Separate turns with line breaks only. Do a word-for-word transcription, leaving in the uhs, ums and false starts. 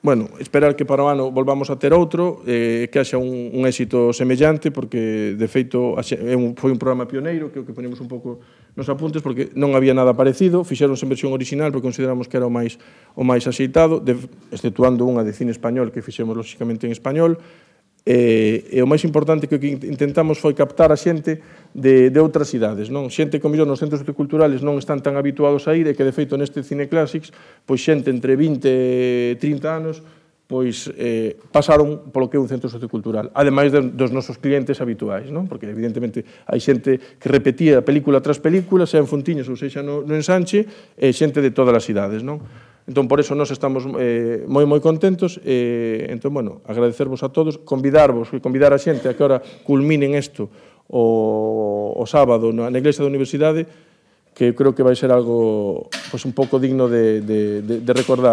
bueno, esperar que para o ano volvamos a ter outro, eh, que haxa un, un éxito semellante, porque, de feito, é un, foi un programa pioneiro, que o que ponemos un pouco nos apuntes, porque non había nada parecido, fixeronse en versión original, porque consideramos que era o máis, o máis axeitado, de, exceptuando unha de cine español, que fixemos, lóxicamente, en español, e, e o máis importante que o que intentamos foi captar a xente de, de outras cidades, non? Xente que, mellor, nos centros culturales non están tan habituados a ir, e que, de feito, neste Cine Clásics, pois xente entre vinte e trinta anos, pois eh, pasaron polo que é un centro sociocultural, ademais de, dos nosos clientes habituais, non? Porque, evidentemente, hai xente que repetía película tras película, xa en Fontiñas ou sexa no, no Ensanche, e xente de todas as cidades, non? Entón, por eso, nós estamos eh, moi, moi contentos. Eh, entón, bueno, agradecervos a todos, convidarvos e convidar a xente a que ahora culminen isto o, o sábado na, na Iglesia da Universidade, que creo que vai ser algo pues, un pouco digno de, de, de, de recordar.